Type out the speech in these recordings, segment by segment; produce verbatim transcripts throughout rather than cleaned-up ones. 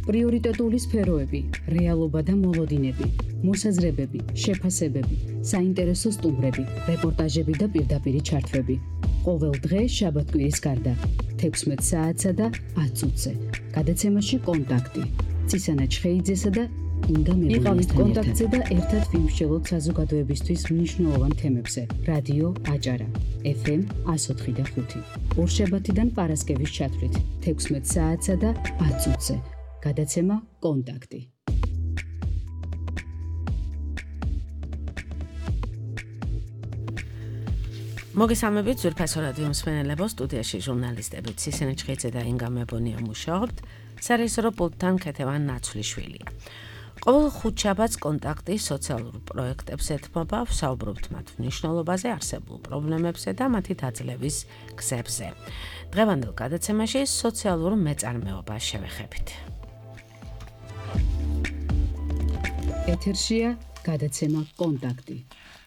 პრიორიტეტული სფეროები, რეალობა და მოლოდინები, მოსაზრებები, შეფასებები, საინტერესო სტუმრები, რეპორტაჟები და პირდაპირი ჩართვები. ყოველ დღე შაბათ-კვირის გარდა, თექვსმეტ საათსა და ათ წუთზე. გადაცემაში კონტაქტი. ცისანა ჩხეიძესა და ინგა მებულიასთან კონტაქტზე და ერთად ვიმსჯელოთ საზოგადოებისთვის მნიშვნელოვან თემებზე. რადიო აჭარა, ეფ ემ ას ოთხი და ხუთი. ორშაბათიდან პარასკევის ჩათვლით, თექვსმეტ საათსა და ათ წუთზე. გადაცემა კონტაქტი. მოგესალმებით ძვირფასო რადიო მსმენელებო, სტუდიაში ჟურნალისტები ცისანა ჩხეიძე და ინგა მებონია მუშაობთ, სარეჟისორო პულტთან ქეთევან ნაცვლიშვილია. ყოველ ხუთშაბათს კონტაქტი სოციალურ პროექტებს ეთმობა, ვსაუბრობთ მათ მნიშვნელობაზე, არსებულ პრობლემებზე და მათი დაძლევის გზებზე. დღევანდელ გადაცემაში სოციალურ მეწარმეობას შევეხებით. ეთერშია გადაცემა კონტაქტი.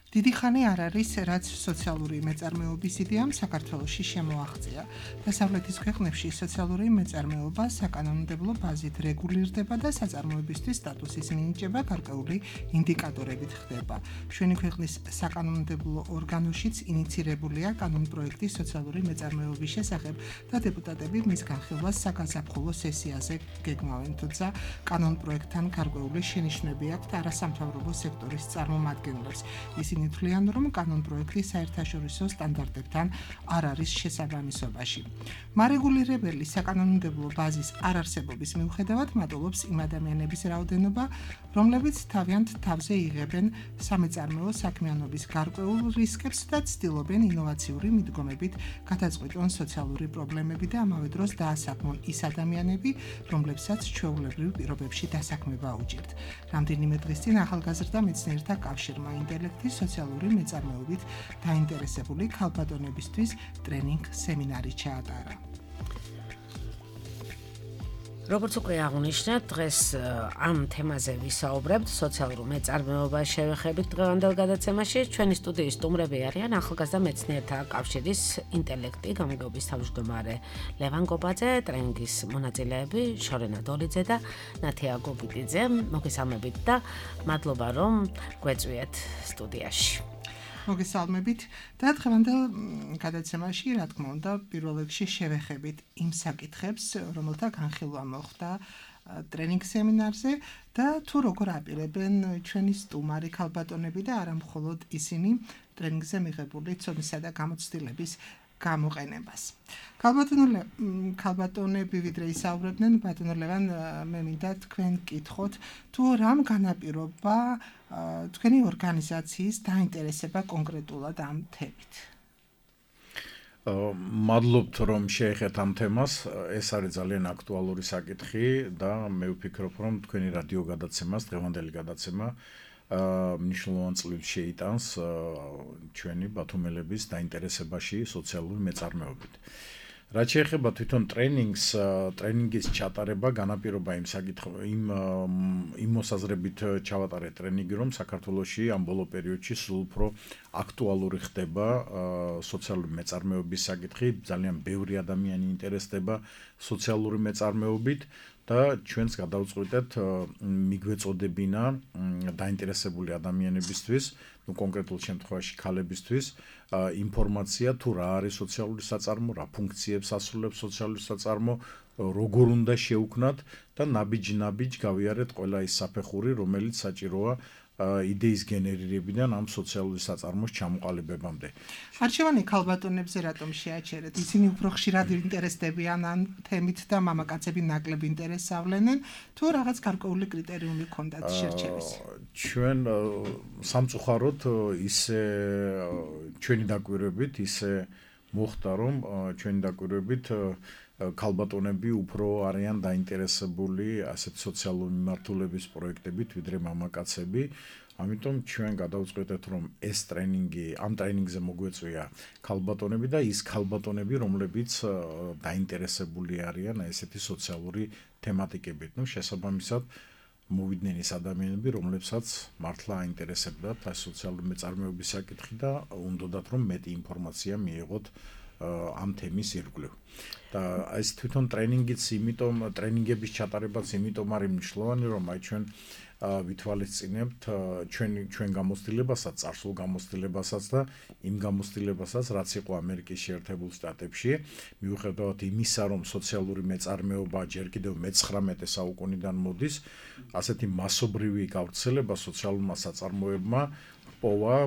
დიდი ხანი არ არის, რაც სოციალური მეწარმეობის იდეამ საქართველოში შემოაღწია. დასავლეთის ქვეყნებში სოციალური მეწარმეობა საკანონმდებლო ბაზით რეგულირდება და საწარმოებისთვის სტატუსის მინიჭება გარკვეული ინდიკატორებით ხდება. ჩვენი ქვეყნის საკანონმდებლო ორგანოშიც ინიცირებულია კანონპროექტი სოციალური მეწარმეობის შესახებ და დეპუტატები მის განხილვას საგაზაფხულო სესიაზე გეგმავენ, თუმცა კანონპროექტთან გარკვეული შენიშვნები აქვთ არასამთავრობო სექტორის წარმომადგენლებს. ისინი თვლიან, რომ კანონპროექტი საერთაშორისო სტანდარტებთან არ არის შესაბამისობაში. მარეგულირებელი საკანონმდებლო ბაზის არარსებობის მიუხედავად მატულობს იმ ადამიანების რაოდენობა, რომლებიც თავიანთ თავზე იღებენ სამეწარმეო საქმიანობის გარკვეულ რისკებს და ცდილობენ ინოვაციური მიდგომებით გადაწყვიტონ სოციალური პრობლემები და ამავე დროს დაასაქმონ ის ადამიანები, რომლებსაც ჩვეულებრივ პირობებში დასაქმება უჭირთ. რამდენიმე დღის წინ ახალგაზრდა მეცნიერთა კავშირმა ინტელექტის სოციალური მეწარმეობით დაინტერესებული ქალბატონებისთვის ტრენინგ სემინარი ჩაატარა. როგორც უკვე აღნიშნეთ, დღეს ამ თემაზე ვისაუბრებთ, სოციალურ მეწარმეობას შევეხებით დღევანდელ გადაცემაში. ჩვენი სტუდიის სტუმრები არიან ახალგაზრდა მეცნიერთა კავშირის ინტელექტი გამგეობის თავმჯდომარე ლევან გობაძე, ტრენინგის მონაწილეები შორენა დოლიძე და ნათია გობიტიძე. მოგესალმებით და მადლობა, რომ გვეწვიეთ სტუდიაში. მოგესალმებით და დღევანდელ გადაცემაში, რა თქმა უნდა, პირველ რიგში შევეხებით იმ საკითხებს, რომელთა განხილვა მოხდა ტრენინგ სემინარზე და თუ როგორ აპირებენ ჩვენი სტუმარი ქალბატონები და არა მხოლოდ ისინი ტრენინგზე მიღებული ცოდნისა და გამოცდილების გამოყენებას. ქალბატონები ვიდრე ისაუბრებდნენ, ბატონო ლევან, მე მინდა თქვენ გკითხოთ, თუ რამ განაპირობა თქვენი ორგანიზაციის დაინტერესება კონკრეტულად ამ თემით. მადლობთ, რომ შეეხეთ ამ თემას. ეს არის ძალიან აქტუალური საკითხი და მე ვფიქრობ, რომ თქვენი რადიო გადაცემას, დღევანდელი გადაცემა მნიშვნელოვან წვლილს შეიტანს ჩვენი ბათუმელების დაინტერესებაში სოციალური მეწარმეობით. რაც შეეხება თვითონ ტრენინგს, ტრენინგის ჩატარება განაპირობა იმ საკითხ იმ იმ მოსაზრებით ჩავატარეთ ტრენინგი, რომ საქართველოში ამ ბოლო პერიოდში სულ უფრო აქტუალური ხდება სოციალური მეწარმეობის საკითხი, ძალიან ბევრი ადამიანი ინტერესდება სოციალური მეწარმეობით და ჩვენს გადავწყვიტეთ მიგვეწოდებინა დაინტერესებული ადამიანებისთვის, ну კონკრეტულ შემთხვევაში ქალებისთვის, ინფორმაცია თუ რა არის სოციალური საწარმო, რა ფუნქციებს ასრულებს სოციალური საწარმო, როგორ უნდა შევქმნათ და ნაბიჯ-ნაბიჯ გავიარეთ ყველა ის საფეხური, რომელიც საჭიროა იდეის გენერირებიდან ამ სოციალური საწარმოს ჩამოყალიბებამდე. არჩევანი ქალბატონებზე რატომ შეაჩერეთ? ისინი უფრო ხშირად ინტერესდებიან ამ თემით და მამაკაცები ნაკლებ ინტერესს ავლენენ, თუ რაღაც გარკვეული კრიტერიუმი ჰქონდათ შერჩევის? ჩვენ სამწუხაროდ ისე ჩვენი დაკვირვებით ისე მოხდა, რომ ჩვენი დაკვირვებით ქალბატონები უფრო არიან დაინტერესებული ასეთ სოციალური მიმართულების პროექტებით, ვიდრე მამაკაცები. ამიტომ ჩვენ გადავწყვეტეთ, რომ ეს ტრენინგი, ამ ტრენინგზე მოგვეწვია ქალბატონები და ის ქალბატონები, რომლებიც დაინტერესებული არიან ესეთი სოციალური თემატიკებით. ნუ შესაბამისად მოვიდნენ ის ადამიანები, რომლებსაც მართლა აინტერესებდათ სოციალური მეწარმეობის საკითხი და უნდათ რომ მეტი ინფორმაცია მიიღოთ ამ თემის ირგვლივ. და ეს თვითონ ტრენინგიც, იმიტომ ტრენინგების ჩატარებაც იმიტომ არის მნიშვნელოვანი, რომ აი ჩვენ ვითვალისწინებთ ჩვენ ჩვენ გამოცდილებასაც, წარსულ გამოცდილებასაც და იმ გამოცდილებასაც, რაც იყო ამერიკის შეერთებულ შტატებში, მიუხედავად იმისა, რომ სოციალური მეწარმეობა ჯერ კიდევ მეცხრამეტე საუკუნიდან მოდის, ასეთი მასობრივი გავრცელება სოციალურმა საწარმოებმა პოვა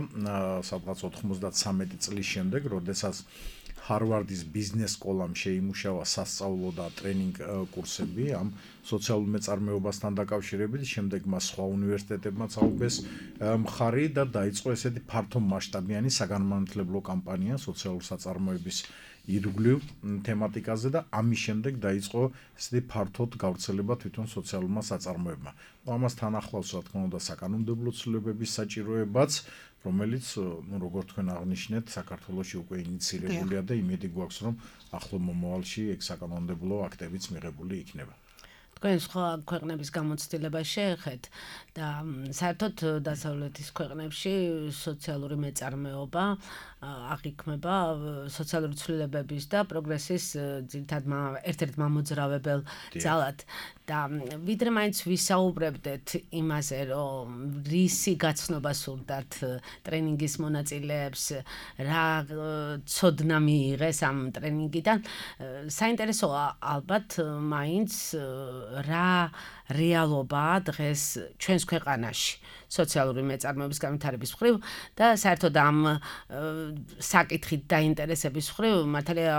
სადღაც ოთხმოცდათსამეტი წლის შემდეგ, როდესაც ჰარვარდის ბიზნეს სკოლამ შეიმუშავა სასწავლო და ტრენინგ კურსები ამ სოციალურ მეწარმეობასთან დაკავშირებით, შემდეგ მას სხვა უნივერსიტეტებმაც აუგეს მხარი და დაიწყო ესეთი ფართო მასშტაბიანი საგანმანათლებლო კამპანია სოციალურ საწარმოების ირგვლივ თემატიკაზე და ამის შემდეგ დაიწყო ესეთი ფართოდ გავრცელება თვითონ სოციალურმა საწარმოებმა. ამასთან ახლავს რა თქმა უნდა საკანონმდებლო ცვლილებების საჭიროებაც, რომელიც როგორც თქვენ აღნიშნეთ, საქართველოში უკვე ინიცირებულია და იმედი გვაქვს, რომ ახლო მომავალში ეგ საკანონმდებლო აქტებიც მიღებული იქნება. თქვენ სხვა ქვეყნების გამოცდილებას შეეხეთ და საერთოდ დასავლეთის ქვეყნებში სოციალური მეწარმეობა აღიქმება სოციალური ცვლილებების და პროგრესის ძირითად ერთ-ერთ მამოძრავებელ ძალად და ვიდრე მაინც ვისაუბრებდეთ იმაზე, რომ რისი გაცნობა სურდათ ტრენინგის მონაწილეებს, რა ცოდნა მიიღეს ამ ტრენინგიდან, საინტერესოა ალბათ მაინც რა რეალობაა დღეს ჩვენს ქვეყანაში სოციალური მეწარმეობის განვითარების მხრივ და საერთოდ ამ საკითხით დაინტერესების მხრივ მართალია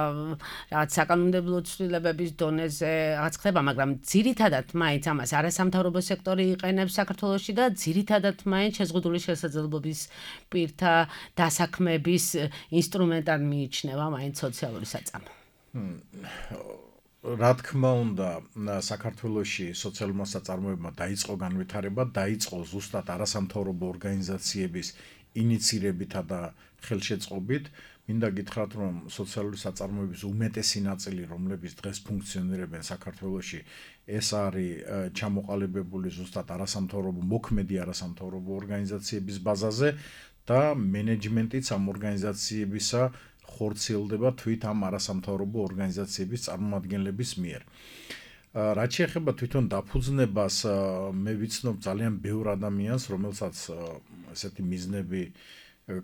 რაღაც საკანონმდებლო ცვლილებების დონეზე რაღაც ხდება, მაგრამ ძირითადად მაინც ამას არასამთავრობო სექტორი იყენებს საქართველოში და ძირითადად მაინც შეზღუდული შესაძლებლობის პირთა დასაქმების ინსტრუმენტად მიიჩნევა მაინც სოციალური საწარმო. რა თქმა უნდა, საქართველოში სოციალურმა საწარმოებმა დაიწყო განვითარება, დაიწყო ზუსტად არასამთავრობო ორგანიზაციების ინიცირებითა და ხელშეწყობით. მინდა გითხრათ, რომ სოციალური საწარმოების უმეტესი ნაწილი, რომლებიც დღეს ფუნქციონირებენ საქართველოში, ეს არის ჩამოყალიბებული ზუსტად არასამთავრობო, მოქმედი არასამთავრობო ორგანიზაციების ბაზაზე და მენეჯმენტიც ამ ორგანიზაციებისა ხორციელდება თვით ამ არასამთავრობო ორგანიზაციების წარმომადგენლების მიერ. რაც შეეხება თვითონ დაფუძნებას, მე ვიცნობ ძალიან ბევრ ადამიანს, რომელსაც ესეთი მიზნები,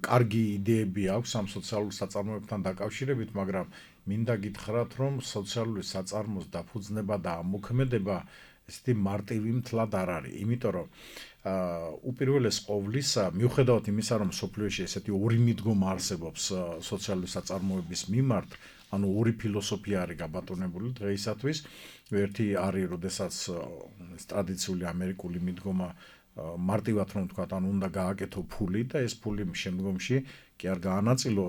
კარგი იდეები აქვს ამ სოციალურ საწარმოებთან დაკავშირებით, მაგრამ მინდა გითხრათ, რომ სოციალური საწარმოს დაფუძნება და ამოქმედება ესეთი მარტივი მთლად არ არის, იმიტომ რომ უპირველეს ყოვლისა, მიუხედავად იმისა, რომ სოფლიოში ესეთი ორი მიდგომა არსებობს სოციალური საწარმოების მიმართ, ანუ ორი ფილოსოფია არის გაბატონებული დღეისათვის, ერთი არის, როდესაც ტრადიციული ამერიკული მიდგომა მარტივად რომ თქვა, ანუ უნდა გააკეთო ფული და ეს ფული შემდგომში კი არ გაანაწილო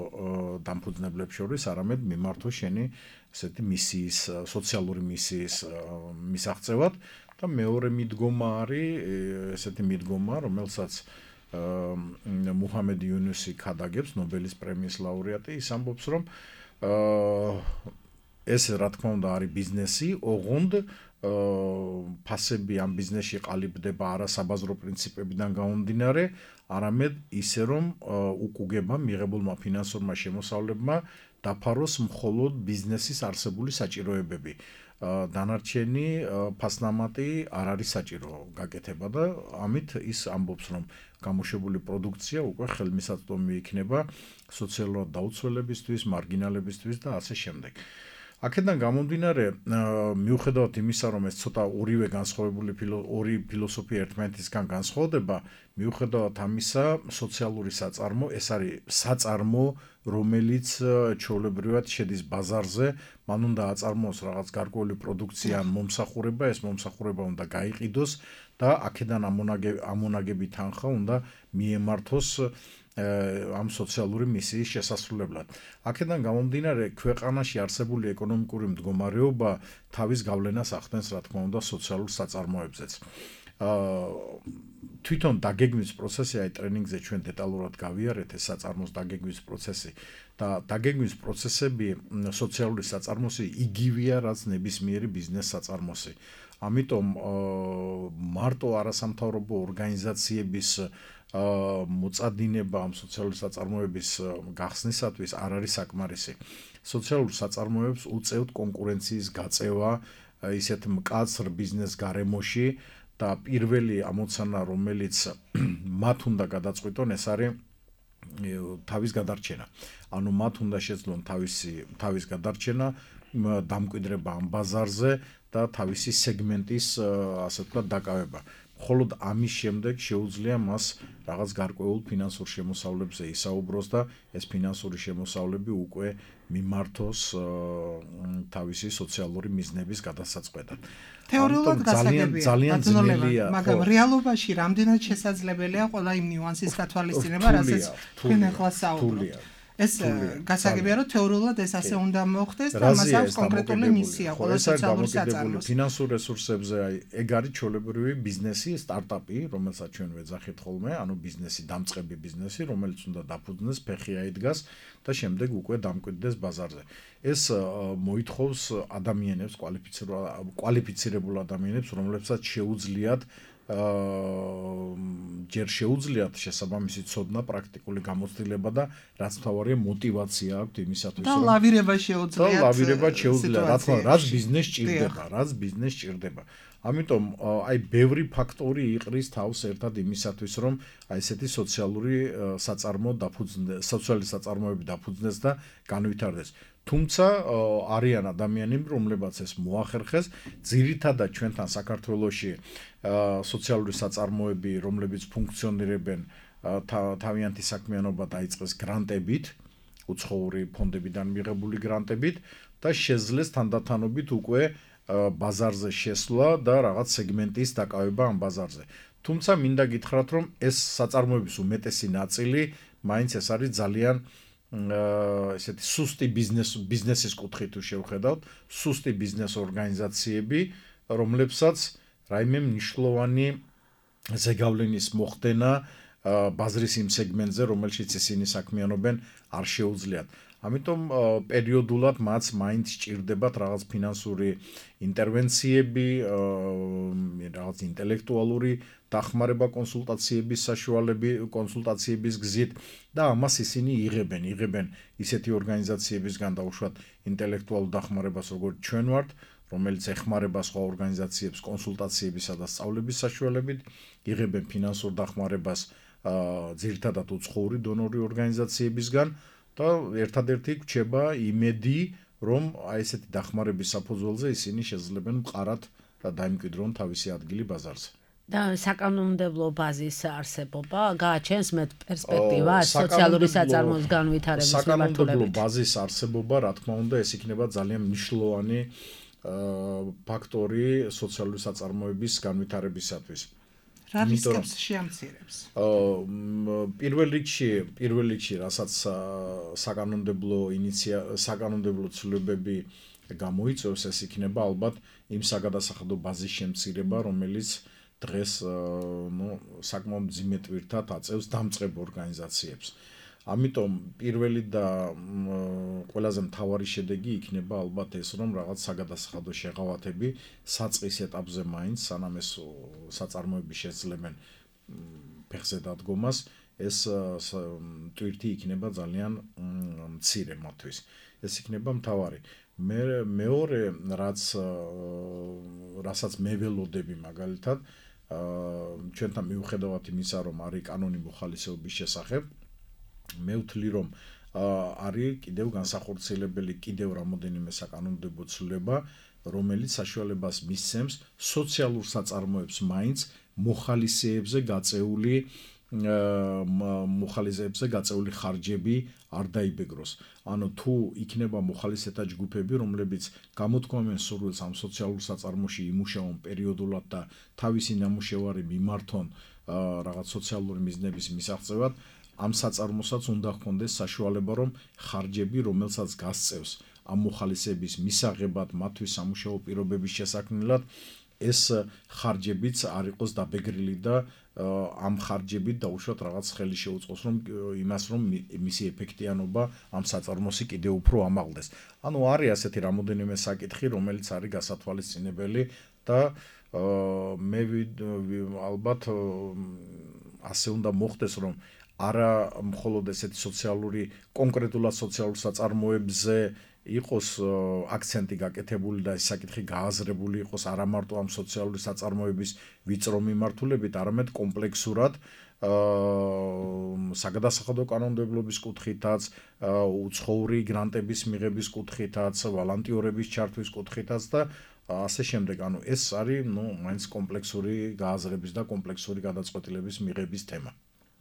დამფუძნებლებს შორის, არამედ მიმართო შენი ესეთი მისიის, სოციალური მისიის მისაღწევად და მეორე მიდგომა არის ესეთი მიდგომა, რომელსაც მუჰამედ იუნუსი ქადაგებს, ნობელის პრემიის ლაურეატი, ის ამბობს, რომ ეს რა თქმა უნდა არის ბიზნესი, ოღონდ ფასები ამ ბიზნესში ყალიბდება არა საბაზრო პრინციპებიდან გამომდინარე, არამედ ისე რომ უკუგება მიღებულმა ფინანსურმა შემოსავლებმა დაფაროს მხოლოდ ბიზნესის არსებული საჭიროებები. დანარჩენი ფასნამატი არ არის საჭირო გაკეთება და ამით ის ამბობს, რომ გამოშვებული პროდუქცია უკვე ხელმისაწვდომი იქნება სოციალურად დაუცველებისთვის, მარგინალებისთვის და ასე შემდეგ. აქედან გამომდინარე, მიუხედავად იმისა, რომ ეს ცოტა ორივე განსხვავებული ორი ფილოსოფია ერთმანეთისგან განსხვავდება, მიუხედავად ამისა, სოციალური საწარმო, ეს არის საწარმო, რომელიც ჩვეულებრივად შედის ბაზარზე, მან უნდა აწარმოოს რაღაც გარკვეული პროდუქცია ან მომსახურება, ეს მომსახურება უნდა გაიყიდოს და აქედან ამონაგები თანხა უნდა მიემართოს ამ სოციალური მისიის შესასრულებლად. აქედან გამომდინარე, ქვეყანაში არსებული ეკონომიკური მდგომარეობა თავის გავლენას ახდენს, რა თქმა უნდა, სოციალურ საწარმოებზეც. თვითონ დაგეგმვის პროცესი, აი ტრენინგზე ჩვენ დეტალურად გავიარეთ ეს საწარმოს დაგეგმვის პროცესი და დაგეგმვის პროცესები სოციალური საწარმოსი იგივეა, რაც ნებისმიერი ბიზნეს საწარმოსი. ამიტომ მარტო არასამთავრობო ორგანიზაციების მოწადინება ამ სოციალური საწარმოების გახსნისათვის არ არის საკმარისი. სოციალურ საწარმოებს უწევთ კონკურენციის გაწევა ისეთ მკაცრ ბიზნეს გარემოში და პირველი ამოცანა, რომელიც მათ უნდა გადაწყვიტონ, ეს არის თავის გადარჩენა. ანუ მათ უნდა შეძლონ თავისი თავის გადარჩენა, დამკვიდრება ამ ბაზარზე და თავისი სეგმენტის, ასე ვთქვათ, დაკავება. მხოლოდ ამის შემდეგ შეუძლია მას რაღაც გარკვეულ ფინანსურ შემოსავლებზე ისაუბროს და ეს ფინანსური შემოსავლები უკვე მიმართოს თავისი სოციალური მიზნების გადასაწყვეტად. თეორიულად გასაგებია, ძალიან ძნელია, მაგრამ რეალობაში რამდენად შესაძლებელია ყველა იმ ნიუანსის გათვალისწინება, რასაც თქვენ ახლა საუბრობთ. ეს გასაგებია, რომ თეორიულად ეს ასე უნდა მოხდეს და მას აქვს კონკრეტული მისია ყველა სოციალური საწარმოს. ფინანსურ რესურსებზე, აი, ეგ არის ჩვეულებრივი ბიზნესი, სტარტაპი, რომელსაც ჩვენ ვეძახით ხოლმე, ანუ ბიზნესი, დამწყები ბიზნესი, რომელიც უნდა დაფუძნდეს, ფეხი აიდგას და შემდეგ უკვე დამკვიდრდეს ბაზარზე. ეს მოითხოვს ადამიანებს, კვალიფიცირებულ ადამიანებს, რომლებსაც შეუძლიათ ჯერ შეუძლიათ შესაბამისი ცოდნა, პრაქტიკული გამოცდილება და რაც მთავარია мотиваცია აქვთ იმისათვის, რომ და ლავირება შეუძლიათ. და ლავირება შეუძლიათ, რა თქმა უნდა, რაც ბიზნეს ჭირდება, რაც ბიზნეს ჭირდება. ამიტომ აი ბევრი ფაქტორი იყრის თავს ერთად იმისათვის, რომ აი ესეთი სოციალური საწარმო დაფუძნდეს, სოციალური საწარმოები დაფუძნდეს და განვითარდეს. თუმცა არიან ადამიანები, რომლებაც ეს მოახერხეს, ძირითადად ჩვენთან საქართველოში სოციალური საწარმოები, რომლებიც ფუნქციონირებენ, თავიანთი საქმიანობა დაიწყეს გრანტებით, უცხოური ფონდებიდან მიღებული გრანტებით და შეძლეს თანდათანობით უკვე ბაზარზე შესვლა და რაღაც სეგმენტის დაკავება ამ ბაზარზე. თუმცა მინდა გითხრათ, რომ ეს საწარმოების უმეტესი ნაწილი მაინც ეს არის ძალიან ესეთი სუსტი ბიზნეს ბიზნესის კუთხით თუ შევხედავთ, სუსტი ბიზნეს ორგანიზაციები, რომლებსაც რაიმე მნიშვნელოვანი ზეგავლენის მოხდენა ბაზრის იმ სეგმენტზე, რომელშიც ისინი საქმიანობენ, არ შეუძლიათ. ამიტომ პერიოდულად მათ მაინც სჭირდებათ რაღაც ფინანსური ინტერვენციები, რაღაც ინტელექტუალური დახმარება კონსულტაციების საშუალებით, კონსულტაციების გზით და ამას ისინი იღებენ, იღებენ ისეთი ორგანიზაციებისგან დაუშვათ ინტელექტუალურ დახმარებას, როგორც ჩვენ ვართ, რომელიც ეხმარება სხვა ორგანიზაციებს კონსულტაციებისა და სწავლების საშუალებით, იღებენ ფინანსურ დახმარებას ძირითადად უცხოური დონორი ორგანიზაციებისგან და ერთადერთი გვჩება იმედი, რომ აი ესეთი დახმარების საფუძველზე ისინი შეძლებენ მყარად დაიმკვიდრონ თავისი ადგილი ბაზარზე. და საკანონმდებლო ბაზის არსებობა გააჩენს მეტ პერსპექტივას სოციალური საწარმოების განვითარების მიმართულებით. საკანონმდებლო ბაზის არსებობა, რა თქმა უნდა, ეს იქნება ძალიან მნიშვნელოვანი ფაქტორი სოციალური საწარმოების განვითარებისათვის. რა რისკებს შეამცირებს? პირველ რიგში, პირველ რიგში, რასაც საკანონმდებლო ინიცია საკანონმდებლო ცვლილებები გამოიწვევს, ეს იქნება ალბათ იმ საგადასახადო ბაზის შემცირება, რომელიც დღეს ნუ საკმაოდ მძიმე ტვირთად აწევს დამწყებ ორგანიზაციებს. ამიტომ პირველი და ყველაზე მთავარი შედეგი იქნება ალბათ ეს, რომ რაღაც საგადასახადო შეღავათები საწყის ეტაპზე მაინც, სანამ ეს საწარმოები შეძლებენ ფეხზე დადგომას, ეს ტვირთი იქნება ძალიან მცირე მათთვის. ეს იქნება მთავარი. მე მეორე, რაც რასაც მე ველოდები მაგალითად, ჩვენთან მიუხედავად იმისა, რომ არის კანონი მოხალისეობის შესახებ, მე ვთვლი, რომ არის კიდევ განსახორციელებელი კიდევ რამოდენიმე საკანონმდებლო ცვლილება, რომელიც საშუალებას მისცემს სოციალურ საწარმოებს მაინც მოხალისეებზე გაწეული მოხალისეებზე გაწეული ხარჯები არ დაიბეგროს. ანუ თუ იქნება მოხალისეთა ჯგუფები, რომლებიც გამოთქვამენ სურვილს ამ სოციალურ საწარმოში იმუშაონ პერიოდულად და თავისი ნამუშევარი მიმართონ რაღაც სოციალური მიზნების მისაღწევად, ამ საწარმოსაც უნდა ჰქონდეს საშუალება, რომ ხარჯები, რომელსაც გასწევს ამ მოხალისეების მისაღებად, მათთვის სამუშაო პირობების შესაქმნელად, ეს ხარჯებიც არ იყოს დაბეგრილი და ამ ხარჯებით დაუშვათ რაღაც ხელი შეუწყოს რომ იმას რომ მისი ეფექტიანობა ამ საწარმოსი კიდევ უფრო ამაღლდეს. ანუ არის ასეთი რამოდენიმე საკითხი, რომელიც არის გასათვალისწინებელი და მე ალბათ ასე უნდა მოხდეს რომ არა მხოლოდ ესეთი სოციალური კონკრეტულად სოციალურ საწარმოებზე იყოს აქცენტი გაკეთებული და ეს საკითხი გააზრებული იყოს არა მარტო ამ სოციალური საწარმოების ვიწრო მიმართულებით, არამედ კომპლექსურად საგადასახადო კანონმდებლობის კუთხითაც, უცხოური გრანტების მიღების კუთხითაც, ვალანტიორების ჩართვის კუთხითაც და ასე შემდეგ. ანუ ეს არის, ნუ, მაინც კომპლექსური გააზრების და კომპლექსური გადაწყვეტილების მიღების თემა.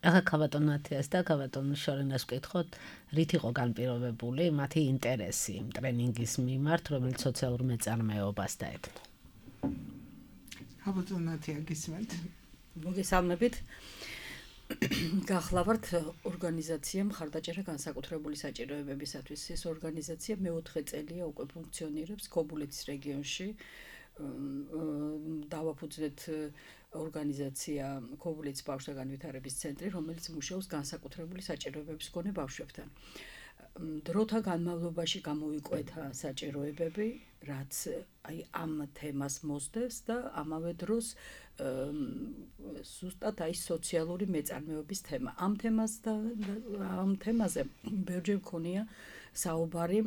ახლა ქავატონ მათიას და ქავატონ შორენას ვკითხოთ, რით იყო განპირობებული მათი ინტერესი ტრენინგის მიმართ, რომელიც სოციალურ მეწარმეობას დაეთმო. ქავატონ მათია გისმენთ. მოგესალმებით. გახლავართ ორგანიზაცია მხარდაჭერა განსაკუთრებული საჭიროებებისათვის. ეს ორგანიზაცია მეოთხე წელია უკვე ფუნქციონირებს ქობულეთის რეგიონში. დავაფუძნეთ ორგანიზაცია ქობულეთის ბავშვთა განვითარების ცენტრი, რომელიც მუშაობს განსაკუთრებული საჭიროებების მქონე ბავშვებთან. დროთა განმავლობაში გამოვიკვეთა საჭიროებები, რაც აი ამ თემას მოსდევს და ამავე დროს ზუსტად აი სოციალური მეწარმეობის თემა. ამ თემას და ამ თემაზე ბევრჯერ მქონია საუბარი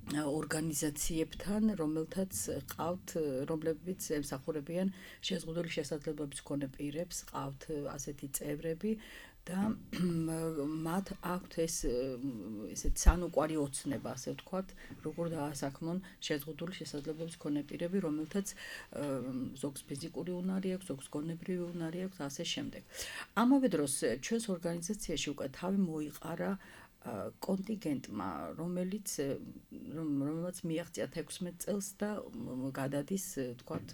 ორგანიზაციებთან, რომელთაც ყავთ, რომლებიც ემსახურებიან შეზღუდული შესაძლებლობების მქონე პირებს, ყავთ ასეთი წევრები და მათ აქვთ ეს ესეთ სანუკვარი ოცნება, ასე ვთქვათ, როგორ დაასაქმონ შეზღუდული შესაძლებლობების მქონე პირები, რომელთაც ზოგს ფიზიკური უნარი აქვს, ზოგს გონებრივი უნარი აქვს, ასე შემდეგ. ამავე დროს ჩვენს ორგანიზაციაში უკვე თავი მოიყარა კონტინგენტმა, რომელიც რომელმაც მიაღწია თექვსმეტ წელს და გადადის, თქვათ,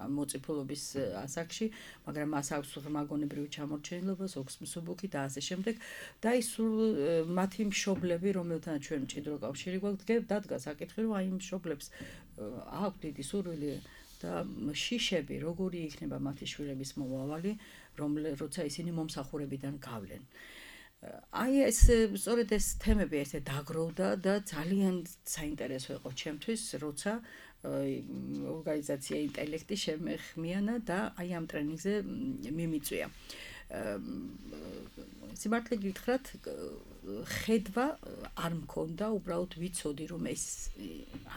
მოწიფულობის ასაკში, მაგრამ მას აქვს ღრმაგონებრივი ჩამორჩენილობა, ზოგს მსუბუქი და ასე შემდეგ. და ის მათი მშობლები, რომელთანაც ჩვენ მჭიდრო კავშირი გვაქვს, დადგა საკითხი, რომ აი იმ მშობლებს აქვთ დიდი სურვილი და შიშები, როგორი იქნება მათი შვილების მომავალი, როცა ისინი მომსახურებიდან გავლენ. აი ეს სწორედ ეს თემები ერთად დაგროვდა და ძალიან საინტერესო იყო ჩემთვის, როცა ორგანიზაცია ინტელექტი შემეხმიანა და აი ამ ტრენინგზე მიმიწვია. სიმართლე გითხრათ, ხედვა არ მქონდა, უბრალოდ ვიცოდი, რომ ეს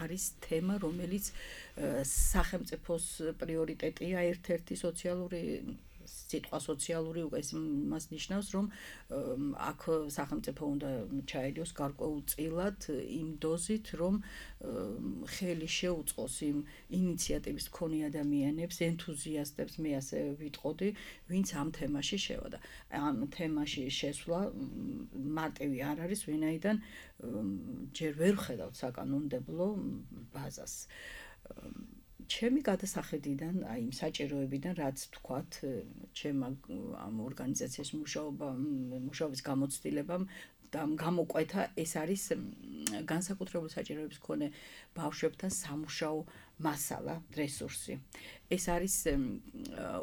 არის თემა, რომელიც სახელმწიფოს პრიორიტეტია, ერთ-ერთი სოციალური სიტყვა სოციალური უკვე მას ნიშნავს, რომ აქ სახელმწიფო უნდა ჩაერიოს გარკვეულწილად იმ დოზით, რომ ხელი შეუწყოს იმ ინიციატივის მქონე ადამიანებს, ენთუზიასტებს, მე ასე ვიტყოდი, ვინც ამ თემაში შევიდა. ამ თემაში შესვლა მარტივი არ არის, ვინაიდან ჯერ ვერ ხედავთ საკანონმდებლო ბაზას. ჩემი გადასახედიდან, აი იმ საჭიროებიდან, რაც თქვათ, ჩემ ამ ორგანიზაციის მუშაობა, მუშაობის გამოცდილებამ და გამოკვეთა, ეს არის განსაკუთრებული საჭიროების მქონე ბავშვებთან სამუშაო მასალა, რესურსი. ეს არის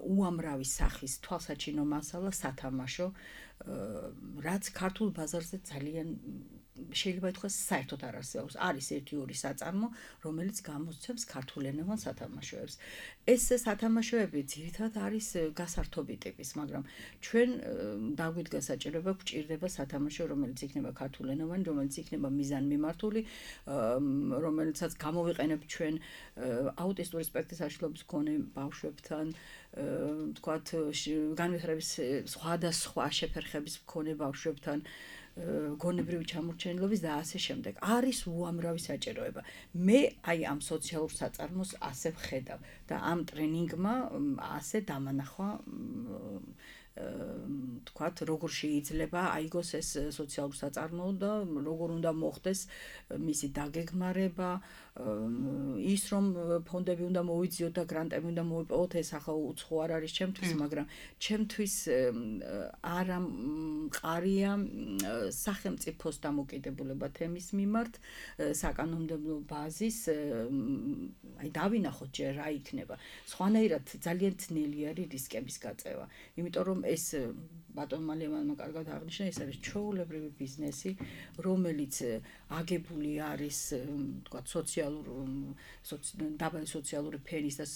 უამრავი სახის თვალსაჩინო მასალა, სათამაშო, რაც ქართულ ბაზარზე ძალიან შეიძლება ითქვას საერთოდ არ არსებობს. არის ერთი ორი საწარმო, რომელიც გამოსცემს ქართულენოვან სათამაშოებს. ეს სათამაშოები ძირითადად არის გასართობი ტიპის, მაგრამ ჩვენ დაგვიდგა საჭიროება, გვჭირდება სათამაშო, რომელიც იქნება ქართულენოვანი, რომელიც იქნება მიზანმიმართული, რომელიცაც გამოვიყენებ ჩვენ აუტისტური სპექტრის აშლობის მქონე ბავშვებთან, თქვათ, განვითარების სხვადასხვა შეფერხების მქონე ბავშვებთან, გონებრივი ჩამორჩენილობის და ასე შემდეგ. არის უამრავი საჭიროება. მე აი ამ სოციალურ საწარმოს ასე ვხედავ და ამ ტრენინგმა ასე დამანახვა თქვათ, როგორ შეიძლება აიგოს ეს სოციალურ საწარმო და როგორ უნდა მოხდეს მისი დაგეგმარება, ის რომ ფონდები უნდა მოვიძიოთ და გრანტები უნდა მოვიპოვოთ, ეს ახლა უცხო არ არის ჩემთვის, მაგრამ ჩემთვის არა მყარია სახელმწიფოს დამოკიდებულება თემის მიმართ, საკანონმდებლო ბაზის, აი დავინახოთ ჯერ რა იქნება. სხვანაირად ძალიან ძნელი არის რისკების გაწევა. იმიტომ რომ ეს ბატონ მალევანმა კარგად აღნიშნა, ეს არის ჩვეულებრივი ბიზნესი, რომელიც აგებული არის, თქვა სოციალურ დაბალი სოციალური ფენის და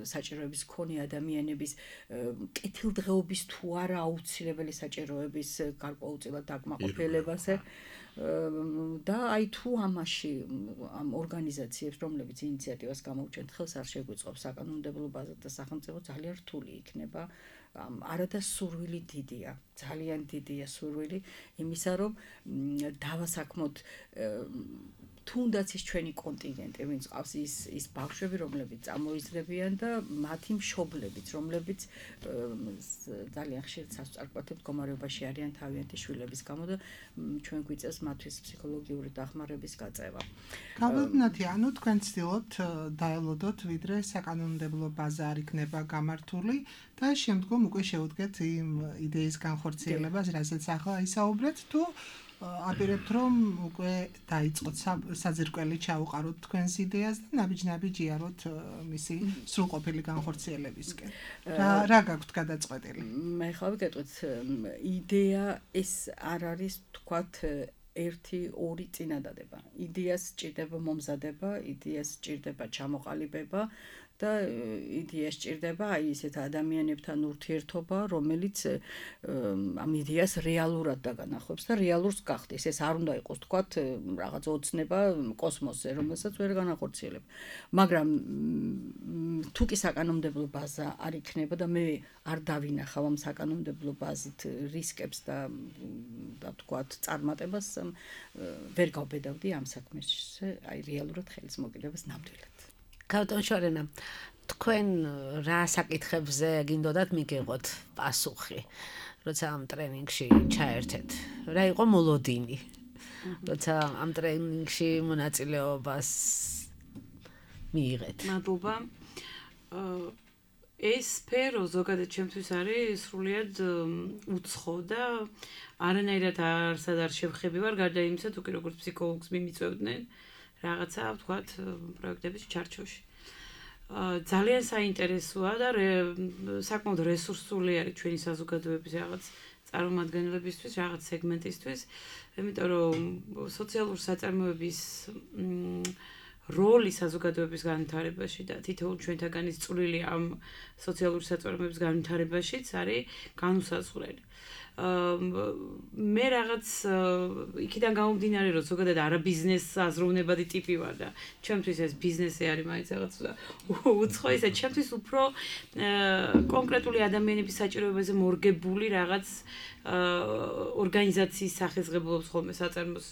საჭიროების მქონე ადამიანების კეთილდღეობის თუ არა აუცილებელი საჭიროების გარკვეულწილად დაკმაყოფილებაზე. და აი თუ ამაში ამ ორგანიზაციებს, რომლებიც ინიციატივას გამოუჩენთ ხელს, არ შეგვიწყობს საკანონმდებლო ბაზა და სახელმწიფო ძალიან რთული იქნება. არადა სურვილი დიდია, ძალიან დიდია სურვილი იმისა, რომ დავასაქმოთ თუნდაც ის ჩვენი კონტინგენტი, ვინც ყავს ის ის ბავშვები, რომლებიც წამოიზრდებიან და მათი მშობლებიც, რომლებიც ძალიან ხშირ სასწრაფოდ მდგომარეობაში არიან თავიანთი შვილების გამო და ჩვენ გვიწევს მათთვის ფსიქოლოგიური დახმარების გაწევა. გავიგნათი, ანუ თქვენ ცდილობთ დაელოდოთ, ვიდრე საკანონმდებლო ბაზა არ იქნება გამართული და შემდგომ უკვე შევუდგეთ იმ იდეის განხორციელებას, რასაც ახლა ისაუბრეთ, თუ აპირებთ რომ უკვე დაიწყოთ საძირკველი ჩაუყაროთ თქვენს იდეას და ნაბიჯ-ნაბიჯ იაროთ მისი სრულყოფილი განხორციელებისკენ. რა რა გაქვთ გადაწყვეტილი? მე ხავ გეტყვით, იდეა ეს არ არის თქვათ ერთი ორი წინადადება. იდეას სჭირდება მომზადება, იდეას სჭირდება ჩამოყალიბება და იდეას სჭირდება აი ესეთ ადამიანებთან ურთიერთობა, რომელიც ამ იდეას რეალურად დაგანახავს და რეალურს გახდეს. ეს არ უნდა იყოს თქვათ რაღაც ოცნება კოსმოსზე, რომელსაც ვერ განახორციელებ. მაგრამ თუ კი საკანონმდებლო ბაზა არ იქნება და მე არ დავინახავ ამ საკანონმდებლო ბაზით რისკებს და და თქვათ წარმატებას, ვერ გავბედავდი ამ საქმეში, აი რეალურად ხელის მოკიდებას ნამდვილად. ბატონ შორენა, თქვენ რა საკითხებზე გინდოდათ მიგეღოთ პასუხი, როცა ამ ტრენინგში ჩაერთეთ? რა იყო მოლოდინი? როცა ამ ტრენინგში მონაწილეობას მიიღეთ? მადლობა. ეს სფერო ზოგადად ჩემთვის არის სრულიად უცხო და არანაირად არსად არ შევხები ვარ, გარდა იმისა, თუ კი როგორც ფსიქოლოგს მიმიწევდნენ რაღაცა ვთქვათ პროექტების ჩარჩოში. ძალიან საინტერესოა და საკმაოდ რესურსული არის ჩვენი საზოგადოების რაღაც წარმომადგენლებისთვის, რაღაც სეგმენტისთვის, იმიტომ რომ სოციალური საწარმოების როლი საზოგადოების განვითარებაში და თითოეულ ჩვენთაგანის წვლილი ამ სოციალური საწარმოების განვითარებაშიც არის განუსაზღვრელი. მე რაღაც იქიდან გამომდინარე, რომ ზოგადად არა ბიზნეს აზროვნებადი ტიპი ვარ და ჩემთვის ეს ბიზნესი არის მაინც რაღაც უცხო, ისე ჩემთვის უფრო კონკრეტული ადამიანების საჭიროებაზე მორგებული რაღაც ორგანიზაციის სახესღებულობს ხოლმე საწარმოს,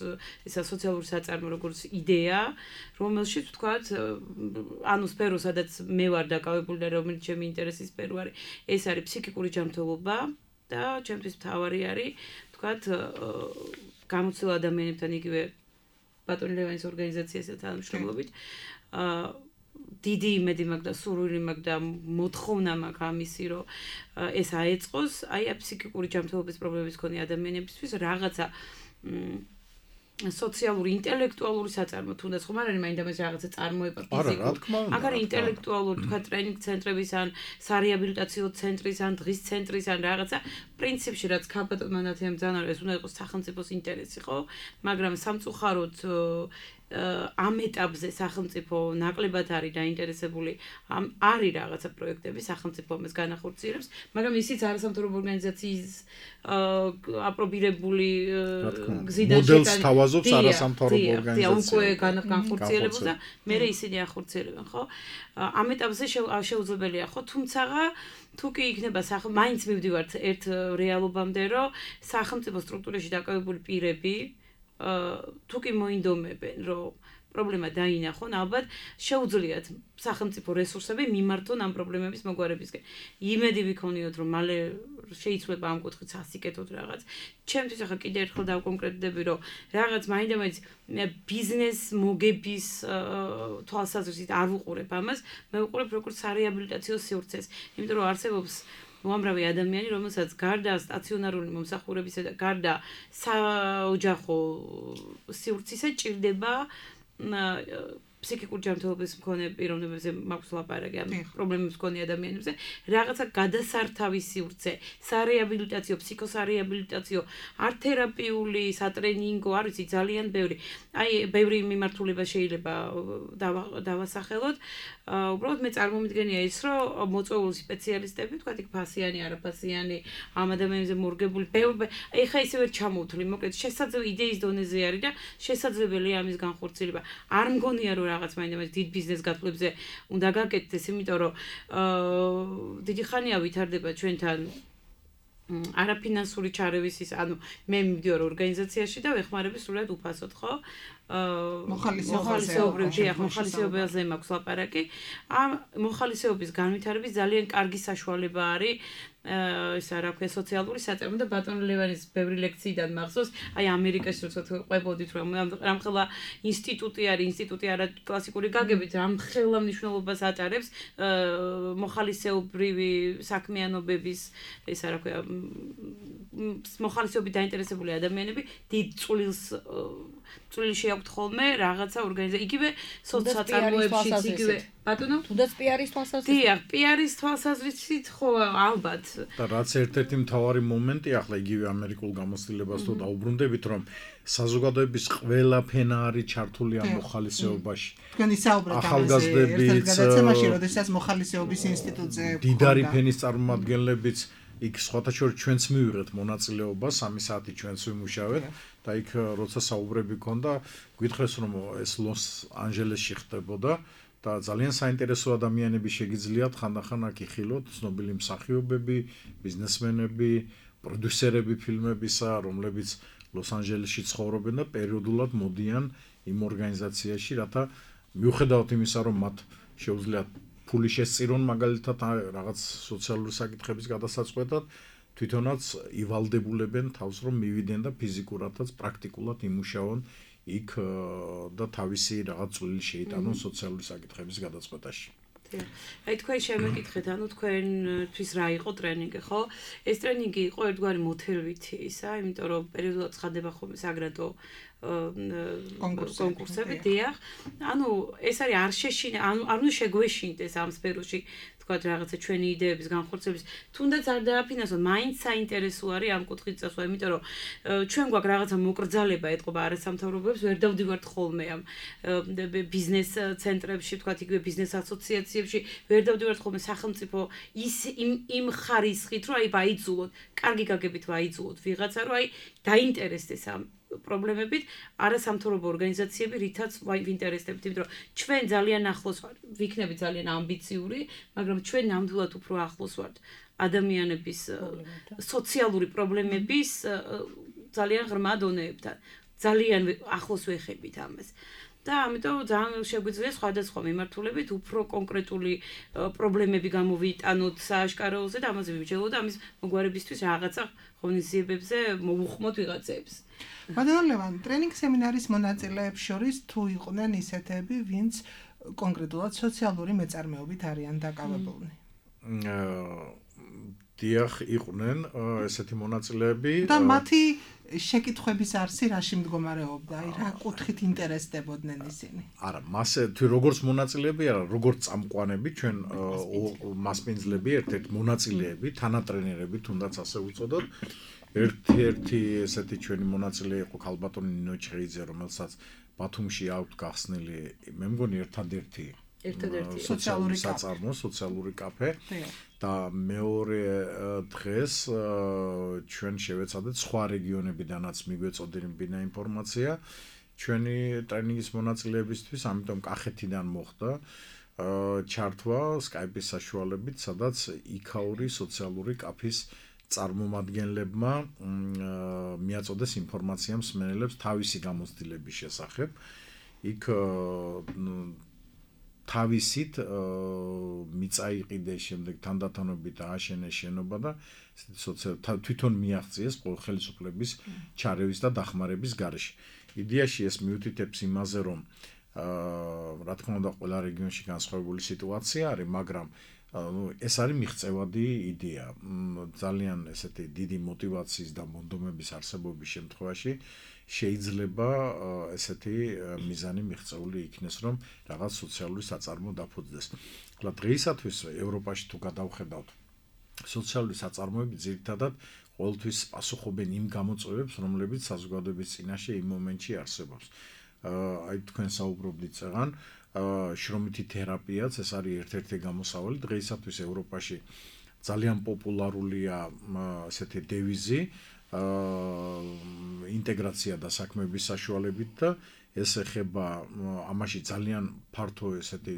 ისა სოციალური საწარმო როგორც იდეა, რომელშიც ვთქვათ, ანუ სფერო, სადაც მე ვარ დაკავებული და რომელიც ჩემი ინტერესის სფერო არის, ეს არის ფსიქიკური ჯანმრთელობა და ჩემთვის მთავარი არის, ვთქვათ, გამოცდილ ადამიანებთან იგივე ბატონ ლევანის ორგანიზაციასთან თანამშრომლობით, დიდი იმედი მაქვს და სურვილი მაქვს და მოთხოვნა მაქვს ამისი, რომ ეს აეწყოს, აი ფსიქიკური ჯანმრთელობის პრობლემების მქონე ადამიანებისთვის რაღაცა სოციალური, ინტელექტუალური საწარმო, თუნდაც ხომ არ არის მაინდა მას რაღაცა წარმოება ფიზიკური. აქ არის ინტელექტუალური, თქვა ტრენინგ ცენტრების ან სარეაბილიტაციო ცენტრის ან დღის ცენტრის ან რაღაცა პრინციპში რაც ქალბატონ მანათიამ ძანა ეს უნდა იყოს სახელმწიფოს ინტერესი, ხო? მაგრამ სამწუხაროდ ამ ეტაპზე სახელმწიფო ნაკლებად არის დაინტერესებული, არის რაღაცა პროექტები სახელმწიფო ამას განახორციელებს, მაგრამ ისიც არასამთავრობო ორგანიზაციის აპრობირებული გზიდან მოდელს თავაზობს არასამთავრობო ორგანიზაცია. უკვე განხორციელებულ და მე ისინი ახორციელებენ, ხო? ამ ეტაპზე შეუძლებელია, ხო? თუმცა თუ კი იქნება სახ მაინც მივდივართ ერთ რეალობამდე, რომ სახელმწიფო სტრუქტურაში დაკავებული პირები თუ კი მოინდომებენ, რომ პრობლემა დაინახონ, ალბათ შეუძლიათ სახელმწიფო რესურსები მიმართონ ამ პრობლემების მოგვარებისკენ. იმედი ვიქონიოთ, რომ მალე შეიცვლება ამ კუთხით სასიკეთოდ რაღაც. ჩემთვის ახლა კიდე ერთხელ დავკონკრეტდები, რომ რაღაც მაინდამაინც ბიზნეს მოგების თვალსაზრისით არ ვუყურებ ამას, მე ვუყურებ როგორც სარეაბილიტაციო სივრცეს, იმიტომ რომ არსებობს უამრავი ადამიანი, რომელსაც გარდა სტაციონარული მომსახურებისა და გარდა საოჯახო სივრცისა ჭირდება ფსიქიკური ჯანმრთელობის მქონე პიროვნებებზე მაქვს ლაპარაკი ამ პრობლემებს მქონე ადამიანებზე, რაღაცა გადასართავი სივრცე, სარეაბილიტაციო, ფსიქოსარეაბილიტაციო, ართ-თერაპიული, სატრენინგო, არ ვიცი, ძალიან ბევრი. აი, ბევრი მიმართულება შეიძლება დავასახელოთ. უბრალოდ მე წარმომიდგენია ის, რომ მოწვეული სპეციალისტები, თქვა იქ ფასიანი, არაფასიანი, ამ ადამიანებზე მორგებული, ბევრი, ეხა ისე ვერ ჩამოვთვლი, მოკლედ შესაძლებელი იდეის დონეზე არის და შესაძლებელია ამის განხორციელება. არ მგონია რომ რაღაც მაინდამაინც დიდ ბიზნეს გათვლებებზე უნდა გაკეთდეს, იმიტომ რომ დიდი ხანია ვითარდება ჩვენთან არაფინანსური ჩარევის ის, ანუ მე მივდივარ ორგანიზაციაში და ვეხმარები სულად უფასოდ, ხო? მოხალისეობრივი, მოხალისეობაზე მაქვს ლაპარაკი. ამ მოხალისეობის განვითარების ძალიან კარგი საშუალება არის ეს რა ქვია სოციალური საწარმო და ბატონ ლევანის ბევრი ლექციიდან მახსოვს, აი ამერიკაში როცა ყვებოდით რომ რამხელა ინსტიტუტი არის, ინსტიტუტი არა კლასიკური გაგებით, რამხელა მნიშვნელობას ატარებს მოხალისეობრივი საქმიანობების ეს რა ქვია მოხალისეობით დაინტერესებული ადამიანები დიდ წვლილს წვლილში აქვთ ხოლმე რაღაცა ორგანიზაცია, იგივე სოციალურ იგივე ბატონო თუნდაც პიარის თვალსაზრისით. დიახ, პიარის თვალსაზრისით ხო ალბათ. და რაც ერთ-ერთი მთავარი მომენტი, ახლა იგივე ამერიკულ გამოცდილებას თუ დაუბრუნდებით, რომ საზოგადოების ყველა ფენა არის ჩართული ამ მოხალისეობაში. თქვენ ისაუბრეთ ამაზე ერთ-ერთ გადაცემაში, როდესაც მოხალისეობის ინსტიტუტზე დიდარი ფენის წარმომადგენლებიც იქ სხვათა შორის ჩვენც მივიღეთ მონაწილეობა, სამი საათი ჩვენც ვიმუშავეთ და იქ როცა საუბრები ქონდა, გითხრეს რომ ეს ლოს-ანჯელესში ხდებოდა და ძალიან საინტერესო ადამიანები შეგიძლიათ ხანდახან აქ იხილოთ, ცნობილი მსახიობები, ბიზნესმენები, პროდიუსერები ფილმებისა, რომლებიც ლოს-ანჯელესში ცხოვრობენ და პერიოდულად მოდიან იმ ორგანიზაციაში, რათა მიუხედავად იმისა, რომ მათ შეუძლიათ ფული შესწირონ მაგალითად რაღაც სოციალური საკითხების გადასაწყვეტად, თვითონაც ივალდებულებენ თავს რომ მივიდნენ და ფიზიკურადაც პრაქტიკულად იმუშაონ იქ და თავისი რაღაც წვლილი შეიტანონ სოციალური საკითხების გადაწყვეტაში. აი თქვენ შემეკითხეთ, ანუ თქვენთვის რა იყო ტრენინგი, ხო? ეს ტრენინგი იყო ერთგვარი მოთელვითი ისა, იმიტომ რომ პერიოდულად ცხადდება ხოლმე საგრადო კონკურსები, დიახ. ანუ ეს არის არ შეშინა, ანუ არ უნდა შეგვეშინდეს ამ სფეროში თქვათ რაღაცა ჩვენი იდეების განხორციელების, თუნდაც არ დააფინანსოთ, მაინც საინტერესო არის ამ კუთხით წასვლა, იმიტომ რომ ჩვენ გვაქვს რაღაცა მოკრძალება ეთყობა არასამთავრობოებს, ვერ დავდივართ ხოლმე ამ ბიზნეს ცენტრებში, თქვათ იგივე ბიზნეს ასოციაციებში, ვერ დავდივართ ხოლმე სახელმწიფო ის იმ ხარისხით, რომ აი ვაიძულოთ, კარგი გაგებით ვაიძულოთ ვიღაცა, რომ აი დაინტერესდეს ამ პრობლემებით არასამთავრობო ორგანიზაციები, რითაც ვინტერესდებით, იმიტომ რომ ჩვენ ძალიან ახლოს ვართ, ვიქნებით ძალიან ამბიციური, მაგრამ ჩვენ ნამდვილად უფრო ახლოს ვართ ადამიანების სოციალური პრობლემების ძალიან ღრმა დონეებთან. ძალიან ახლოს ვეხებით ამას. და ამიტომ ძალიან შეგვიძლია სხვადასხვა მიმართულებით უფრო კონკრეტული პრობლემები გამოვიტანოთ სააშკაროზე და ამაზე ვიმსჯელოთ და ამის მოგვარებისთვის რაღაცა ღონისძიებებზე მოვუხმოთ ვიღაცებს. ბატონო ლევან, ტრენინგ სემინარის მონაწილეებს შორის თუ იყვნენ ისეთები, ვინც კონკრეტულად სოციალური მეწარმეობით არიან დაკავებულნი? დიახ, იყვნენ ესეთი მონაწილეები და მათი შეკითხვების არსი რაში მდგომარეობდა? აი რა კუთხით ინტერესდებოდნენ ისინი? არა, მასე თუ როგორც მონაწილეები, არა, როგორც წამყვანები, ჩვენ მასპინძლები, ერთ-ერთ მონაწილეები, თანატრენერები, თუნდაც ასე ვუწოდოთ. ერთ-ერთი ესეთი ჩვენი მონაწილე იყო ქალბატონი ნინო ჩხეიძე, რომელსაც ბათუმში აქვთ გახსნილი, მე მგონი ერთადერთი ერთადერთი სოციალური საწარმო, სოციალური კაფე და მეორე დღეს ჩვენ შევეცადეთ სხვა რეგიონებიდანაც მიგვეწოდებინა ინფორმაცია ჩვენი ტრენინგის მონაწილეებისთვის, ამიტომ კახეთიდან მოხდა ჩართვა Skype-ის საშუალებით, სადაც იქაური სოციალური კაფის წარმომადგენლებმა მიაწოდეს ინფორმაცია მსმენელებს თავისი გამოცდილების შესახებ. იქ თავისით მიწაიყიდეს შემდეგ თანდათანობით ააშენეს შენობა და თვითონ მიაღწიეს ხელისუფლების ჩარევის და დახმარების გარეშე. იდეაში ეს მიუთითებს იმაზე, რომ რა თქმა უნდა ყველა რეგიონში განსხვავებული სიტუაცია არის, მაგრამ ეს არის მიღწევადი იდეა. ძალიან ესეთი დიდი мотиваციის და მონდომების არსებობის შემთხვევაში შეიძლება ესეთი მიზანი მიღწეული იქნეს, რომ რაღაც სოციალური საწარმო დაფუძნდეს. ხოლო დღეისათვის ევროპაში თუ გადავხედავთ, სოციალური საწარმოები ძირითადად ყოველთვის პასუხობენ იმ გამოწვევებს, რომლებიც საზოგადოების წინაშე იმ მომენტში არსებობს. აი თქვენ საუბრობდით წეგან შრომითი თერაპიაც ეს არის ერთ-ერთი გამოსავალი. დღეისათვის ევროპაში ძალიან პოპულარულია ესეთი დევიზი ინტეგრაცია და საქმეების საშუალებით და ეს ეხება ამაში ძალიან ფართო ესეთი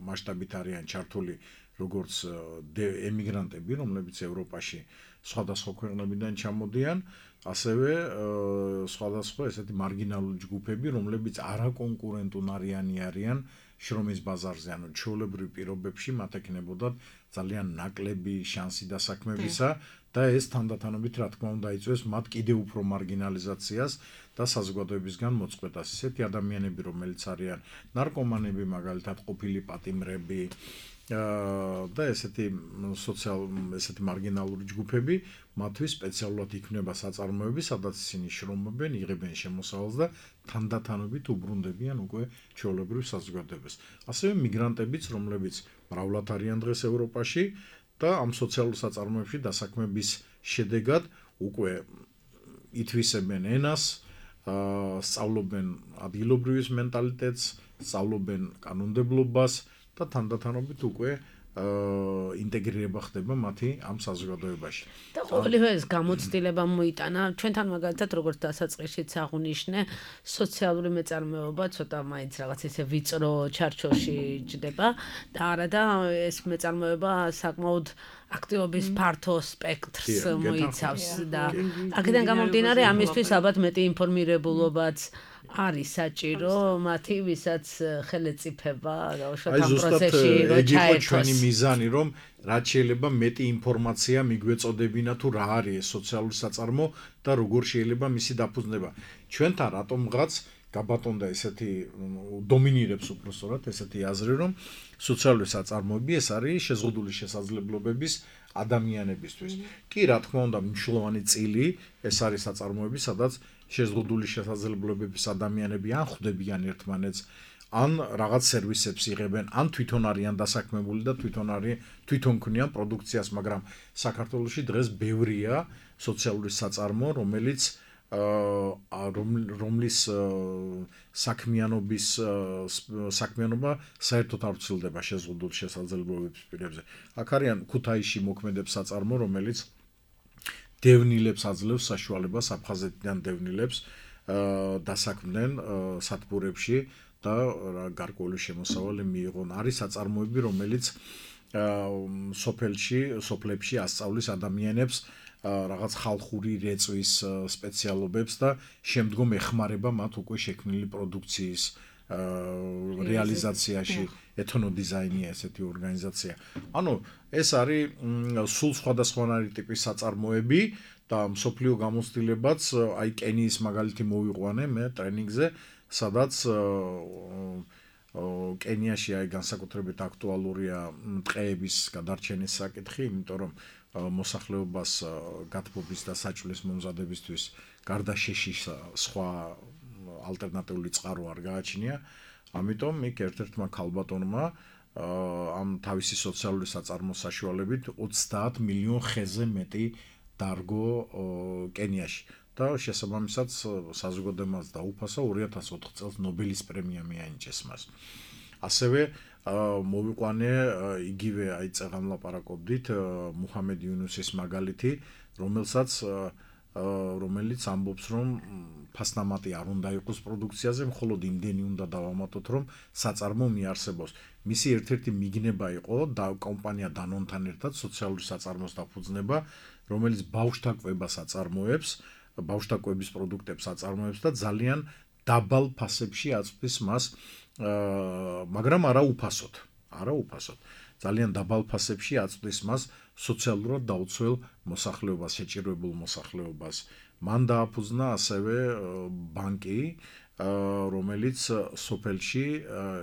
მასშტაბით არიან ჩართული როგორც ემიგრანტები, რომლებიც ევროპაში სხვადასხვა ქვეყნებიდან ჩამოდიან, ასევე სხვადასხვა ესეთი მარგინალური ჯგუფები, რომლებიც არაკონკურენტუნარიანი არიან შრომის ბაზარზე, ანუ ჩვეულებრივ პირობებში მათ ექნებოდათ ძალიან ნაკლები შანსი დასაქმებისა და ეს თანდათანობით რა თქმა უნდა იწვევს მათ კიდევ უფრო მარგინალიზაციას და საზოგადოებისგან მოწყვეტას. Ესეთი ადამიანები, რომელიც არიან ნარკომანები, მაგალითად ყოფილი პატიმრები და ესეთი სოციალ ესეთი მარგინალური ჯგუფები, მათთვის სპეციალურად იქნება საწარმოები, სადაც ისინი შრომობენ, იღებენ შემოსავალს და თანდათანობით უბრუნდებიან უკვე ჩვეულებრივ საზოგადოებას. ასევე მიგრანტებიც, რომლებიც მრავლად არიან დღეს ევროპაში და ამ სოციალურ საწარმოებში დასაქმების შედეგად უკვე ითვისებენ ენას, სწავლობენ ადგილობრივის მენტალიტეტს, სწავლობენ კანონმდებლობას და თანდათანობით უკვე ინტეგრირება ხდება მათი ამ საზოგადოებაში. და ყოველივე ეს გამოცდილება მოიტანა. ჩვენთან მაგალითად როგორც დასაწყისშიც აღუნიშნე, სოციალური მეწარმეობა ცოტა მაინც რაღაც ესე ვიწრო ჩარჩოში ჯდება და არადა ეს მეწარმეობა საკმაოდ აქტივობის ფართო სპექტრს მოიცავს და აქედან გამომდინარე ამისთვის ალბათ მეტი ინფორმირებულობაც არის საჭირო მათი, ვისაც ხელეწიფება დაუშვათ ამ პროცესში რო ჩაერთოს. ჩვენი მიზანი, რომ რაც შეიძლება მეტი ინფორმაცია მიგვეწოდებინა თუ რა არის სოციალური საწარმო და როგორ შეიძლება მისი დაფუძნება. ჩვენთან რატომღაც გაბატონდა ესეთი დომინირებს უпростоრად ესეთი აზრი, რომ სოციალური საწარმოები ეს არის შეზღუდული შესაძლებლობების ადამიანებისთვის. კი, რა თქმა უნდა, მნიშვნელოვანი წილი ეს არის საწარმოები, სადაც შეზღუდული შესაძლებლობების ადამიანები ან ხვდებიან ერთმანეთს, ან რაღაც სერვისებს იღებენ, ან თვითონ არიან დასაქმებული და თვითონ არის თვითონ ქმნიან პროდუქციას, მაგრამ საქართველოში დღეს ბევრია სოციალური საწარმო, რომელიც რომლის საქმიანობის საქმიანობა საერთოდ არ ვცილდება შეზღუდულ შესაძლებლობების პირებზე. აქ არიან ქუთაისში მოქმედებს საწარმო, რომელიც დევნილებს აძლევს საშუალებას, აფხაზეთიდან დევნილებს დასაქმდნენ სათბურებში და გარკვეული შემოსავალი მიიღონ. არის საწარმოები, რომელიც სოფელში, სოფლებში ასწავლის ადამიანებს რაღაც ხალხური რეწვის სპეციალობებს და შემდგომ ეხმარება მათ უკვე შექმნილი პროდუქციის რეალიზაციაში. ეთნოდიზაინია ესეთი ორგანიზაცია. ანუ ეს არის სულ სხვადასხვანაირი ტიპის საწარმოები და მსოფლიო გამოცდილებაც აი კენიის მაგალითი მოვიყვანე მე ტრენინგზე, სადაც კენიაში აი განსაკუთრებით აქტუალურია ტყეების გადარჩენის საკითხი, იმიტომ რომ მოსახლეობას გათბობის და საჭმლის მომზადებისთვის გარდა შეშის სხვა ალტერნატიული წყარო არ გააჩნია. ამიტომ იქ ერთ-ერთმა ქალბატონმა ამ თავისი სოციალური საწარმოს საშუალებით ოცდაათ მილიონ ხეზე მეტი დარგო კენიაში და შესაბამისად საზოგადოებას დაუფასა ორი ათას ოთხ წელს ნობელის პრემია მიანიჭეს მას. ასევე მოვიყვანე იგივე აი წეგან ლაპარაკობდით მუჰამედ იუნუსის მაგალითი, რომელსაც რომელიც ამბობს, რომ ფასნამატი არ უნდა იყოს პროდუქციაზე, მხოლოდ იმდენი უნდა დავამატოთ, რომ საწარმო მიარსებოს. მისი ერთ-ერთი მიგნება იყო და კომპანია დანონთან ერთად სოციალური საწარმოს დაფუძნება, რომელიც ბავშვთა კვებას აწარმოებს, ბავშვთა კვების პროდუქტებს აწარმოებს და ძალიან დაბალ ფასებში აწვდის მას, მაგრამ არა უფასოდ, არა უფასოდ. ძალიან დაბალ ფასებში აწვდის მას სოციალურად დაუცველ მოსახლეობას, შეჭირებულ მოსახლეობას. მან დააფუძნა ასევე ბანკი, რომელიც სოფელში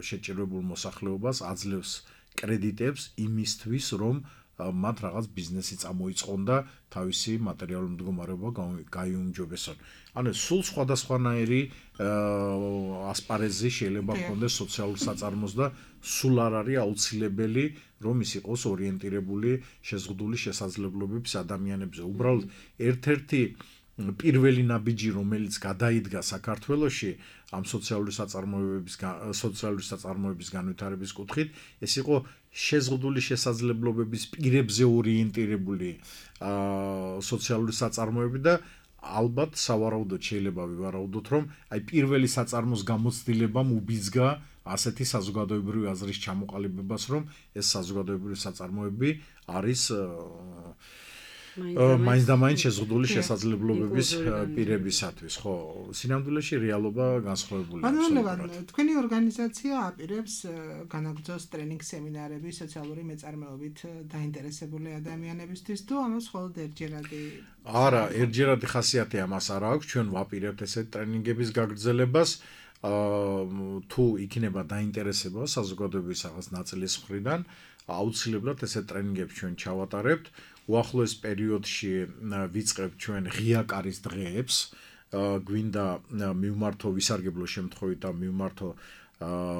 შეჭირებულ მოსახლეობას აძლევს კრედიტებს იმისთვის, რომ მათ რაღაც ბიზნესი წამოიწყონ და თავისი მატერიალური მდგომარეობა გაიუმჯობესონ. ანუ სულ სხვადასხვანაირი ასპარეზი შეიძლება ჰქონდეს სოციალურ საწარმოს და სულ არ არის აუცილებელი, რომ ის იყოს ორიენტირებული შეზღუდული შესაძლებლობების ადამიანებზე. უბრალოდ ერთ-ერთი პირველი ნაბიჯი, რომელიც გადაიდგა საქართველოში ამ სოციალური საწარმოებების სოციალური საწარმოების განვითარების კუთხით, ეს იყო შეზღუდული შესაძლებლობების პირებზე ორიენტირებული სოციალური საწარმოები და ალბათ სავარაუდოდ შეიძლება ვივარაუდოთ, რომ აი პირველი საწარმოს გამოცდილებამ უბიძგა ასეთი საზოგადოებრივი აზრის ჩამოყალიბებას, რომ ეს საზოგადოებრივი საწარმოები არის მაინც და მაინც შეზღუდული შესაძლებლობების პირებისათვის, ხო, სინამდვილეში რეალობა განსხვავებულია. ანუ თქვენი ორგანიზაცია აპირებს განაგრძოს ტრენინგ სემინარები სოციალური მეწარმეობით დაინტერესებული ადამიანებისთვის, თუ ამას მხოლოდ ერთჯერადი? არა, ერთჯერადი ხასიათი ამას არ აქვს, ჩვენ ვაპირებთ ესეთ ტრენინგების გაგრძელებას. თუ იქნება დაინტერესება საზოგადოების რაღაც ნაწილის მხრიდან, აუცილებლად ესეთ ტრენინგებს ჩვენ ჩავატარებთ. უახლოეს პერიოდში ვიწყებთ ჩვენ ღია კარის დღეებს, გვინდა მივმართო ვისარგებლო შემთხვევით და მივმართო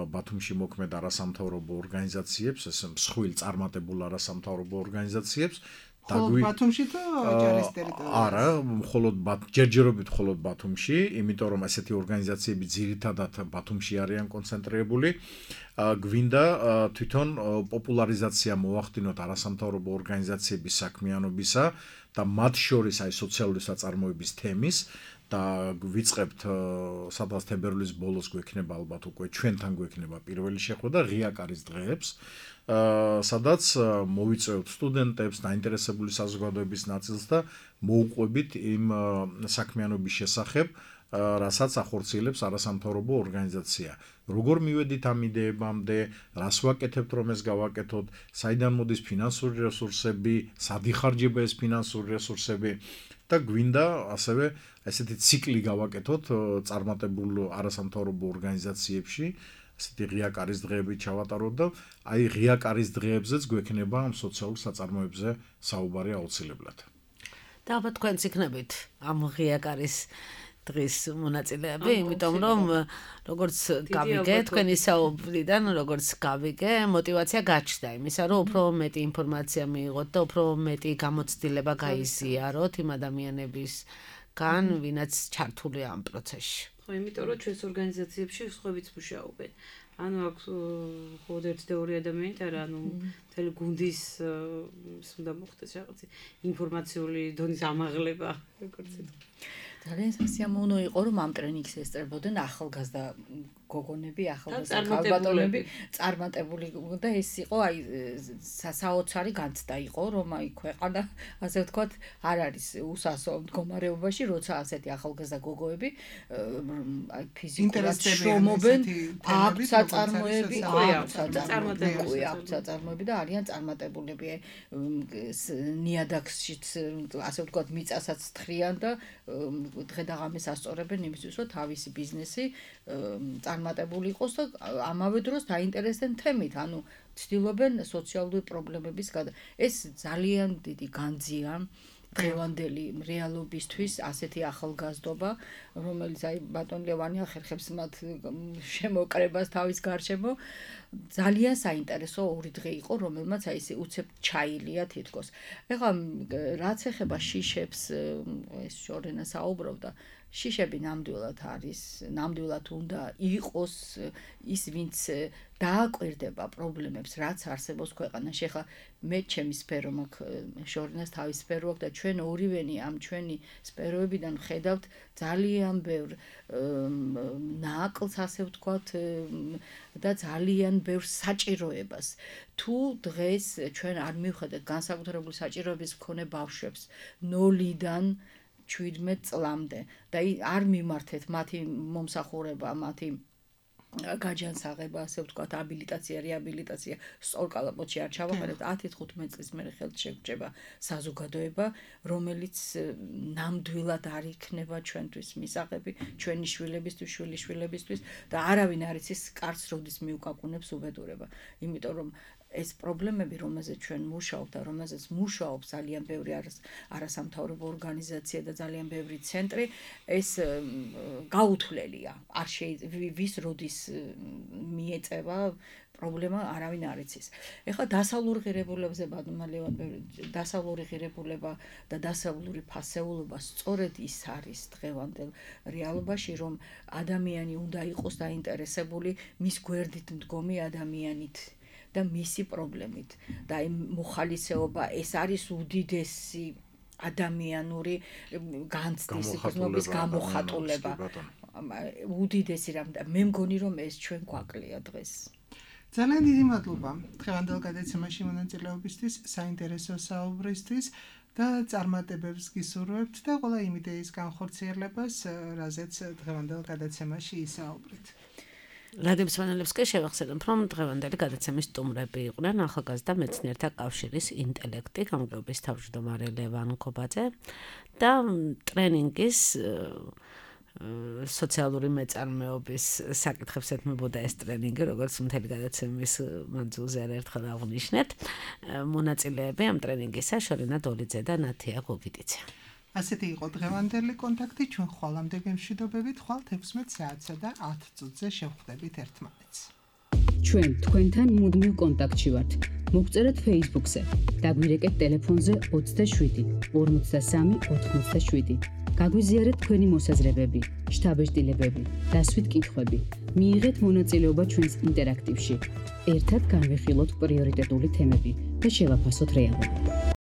ბათუმში მოქმედ არასამთავრობო ორგანიზაციებს, ეს მსხვილ წარმატებულ არასამთავრობო ორგანიზაციებს. მხოლოდ ბათუმში თუ ჯარის ტერიტორიაზე? არა, მხოლოდ ჯერჯერობით მხოლოდ ბათუმში, იმიტომ რომ ესეთი ორგანიზაციები ძირითადად ბათუმში არიან კონცენტრირებული. გვინდა თვითონ პოპულარიზაცია მოახდინოთ არასამთავრობო ორგანიზაციების საქმიანობისა და მათ შორის აი სოციალური საწარმოების თემის და ვიწყებთ სადღაც თებერვლის ბოლოს გვექნება ალბათ უკვე ჩვენთან გვექნება პირველი შეხვედრა ღია კარის დღეებს, სადაც მოვიწვევთ სტუდენტებს, დაინტერესებული საზოგადოების ნაწილს და მოუყვებით იმ საქმიანობის შესახებ, რასაც ახორციელებს არასამთავრობო ორგანიზაცია. როგორ მივედით ამ იდეებამდე, რას ვაკეთებთ, რომ ეს გავაკეთოთ, საიდან მოდის ფინანსური რესურსები, სად იხარჯება ეს ფინანსური რესურსები და გვინდა ასევე ესეთი ციკლი გავაკეთოთ წარმატებულ არასამთავრობო ორგანიზაციებში, ესეთი ღია კარის დღეები ჩავატაროთ და აი ღია კარის დღეებზეც გვექნება ამ სოციალურ საწარმოებზე საუბარი აუცილებლად. და ალბათ თქვენც იქნებით ამ ღია კარის დღის მონაწილეები, იმიტომ რომ როგორც გავიგე თქვენი საუბრიდან, როგორც გავიგე, мотиваცია გაჩნდა იმისა, რომ უფრო მეტი ინფორმაცია მიიღოთ და უფრო მეტი გამოცდილება გაიზიაროთ იმ ადამიანებისგან, ვინაც ჩართულია ამ პროცესში. ხო, იმიტომ რომ ჩვენს ორგანიზაციებში სხვაებიც მუშაობენ. ანუ აქ მხოლოდ ერთი და ორი ადამიანი არა, ანუ მთელი გუნდის უნდა მოხდეს რაღაც ინფორმაციული დონის ამაღლება, როგორც ითქვა. ძალიან სასიამოვნო იყო, რომ ამ ტრენინგს ესწრებოდნენ ახალგაზრდა გოგონები, ახალგაზრდა ქალბატონები, წარმატებული და ეს იყო აი საოცარი განცდა იყო, რომ აი ქვეყანა ასე ვთქვათ არ არის უსასო მდგომარეობაში, როცა ასეთი ახალგაზრდა გოგოები აი ფიზიკურად შრომობენ, აქვს საწარმოები, აქვს საწარმოები, აქვს საწარმოები და არიან წარმატებულები. ნიადაგშიც ასე ვთქვათ მიწასაც თხრიან და დღე და ღამეს ასწორებენ იმისთვის, რომ თავისი ბიზნესი წარმატებული იყოს და ამავე დროს დაინტერესდნენ თემით, ანუ ცდილობენ სოციალური პრობლემების გადა. ეს ძალიან დიდი განძია დღევანდელი რეალობისთვის ასეთი ახალგაზრდობა, რომელიც აი ბატონ ლევანი ახერხებს მათ შემოკრებას თავის გარშემო. ძალიან საინტერესო ორი დღე იყო, რომელმაც აი ესე უცებ ჩაილია თითქოს. ეხლა რაც ეხება შიშებს, ეს შორენა საუბრობდა, შიშები ნამდვილად არის, ნამდვილად უნდა იყოს ის, ვინც დააკვირდება პრობლემებს, რაც არსებობს ქვეყანაში. ეხლა მე ჩემი სფერო მაქვს, შორენას თავის სფერო აქვს და ჩვენ ორივენი ამ ჩვენი სფეროებიდან ხედავთ ძალიან ბევრ ნაკლს, ასე ვთქვათ, და ძალიან ბევრ საჭიროებას. თუ დღეს ჩვენ არ მივხედავთ განსაკუთრებული საჭიროების მქონე ბავშვებს ნოლიდან ჩვიდმეტ წლამდე და არ მიმართეთ მათი მომსახურება, მათი გაჯანსაღება, ასე ვთქვათ, აბილიტაცია, რეაბილიტაცია სწორ კალაპოტში არ ჩავაყენებთ, ათი თხუთმეტი წლის მერე ხელთ შეგრჩება საზოგადოება, რომელიც ნამდვილად არ იქნება ჩვენთვის მისაღები, ჩვენი შვილებისთვის, შვილიშვილებისთვის და არავინ არ იცის კარს როდის მიუკაკუნებს უბედურება. იმიტომ რომ ეს პრობლემები, რომელზეც ჩვენ მუშაობთ და რომელზეც მუშაობს ძალიან ბევრი არასამთავრობო ორგანიზაცია და ძალიან ბევრი ცენტრი, ეს გაუთვლელია. არ შეიძლება ვის როდის მიეწევა პრობლემა არავინ არ იცის. ეხლა დასავლური ღირებულებაზე ბატონმა დასავლური ღირებულება და დასავლური ფასეულობა სწორედ ის არის დღევანდელ რეალობაში, რომ ადამიანი უნდა იყოს დაინტერესებული მის გვერდით მდგომი ადამიანით და მისი პრობლემით და აი მოხალისეობა ეს არის უდიდესი ადამიანური განცდის გზნობის გამოხატულება. უდიდესი რამ და მე მგონი რომ ეს ჩვენ გვაკლია დღეს. ძალიან დიდი მადლობა დღევანდელ გადაცემაში მონაწილეობისთვის, საინტერესო საუბრისთვის და წარმატებებს გისურვებთ და ყველა იმ იდეის განხორციელებას, რაზეც დღევანდელ გადაცემაში ისაუბრეთ. რადიოს ფანელებს კი შევახსენებ, რომ დღევანდელი გადაცემის სტუმრები იყვნენ ახალგაზრდა მეცნიერთა კავშირის ინტელექტი გამგეობის თავმჯდომარე ლევან ქობაძე და ტრენინგის სოციალური მეწარმეობის საკითხებს ეთმობოდა ეს ტრენინგი, როგორც მთელი გადაცემის მანძილზე ერთხელ აღნიშნეთ. მონაწილეები ამ ტრენინგისა შორენა დოლიძე და ნათია გოგიტიცე. ასეთი იყო დღევანდელი კონტაქტი, ჩვენ ხვალამდე გემშვიდობებით, ხვალ ექვსმეტ საათსა და ათ წუთზე შევხვდებით ერთმანეთს. ჩვენ თქვენთან მუდმივ კონტაქტში ვართ. მოგწერეთ Facebook-ზე, დაგვირეკეთ ტელეფონზე ოცდაშვიდი ორმოცდასამი ოთხმოცდაშვიდი. გაგვიზიარეთ თქვენი მოსაზრებები, შთაბეჭდილებები, დასვით კითხვები. მიიღეთ მონაწილეობა ჩვენს ინტერაქტივში. ერთად განვიხილოთ პრიორიტეტული თემები და შევაფასოთ რეალობა.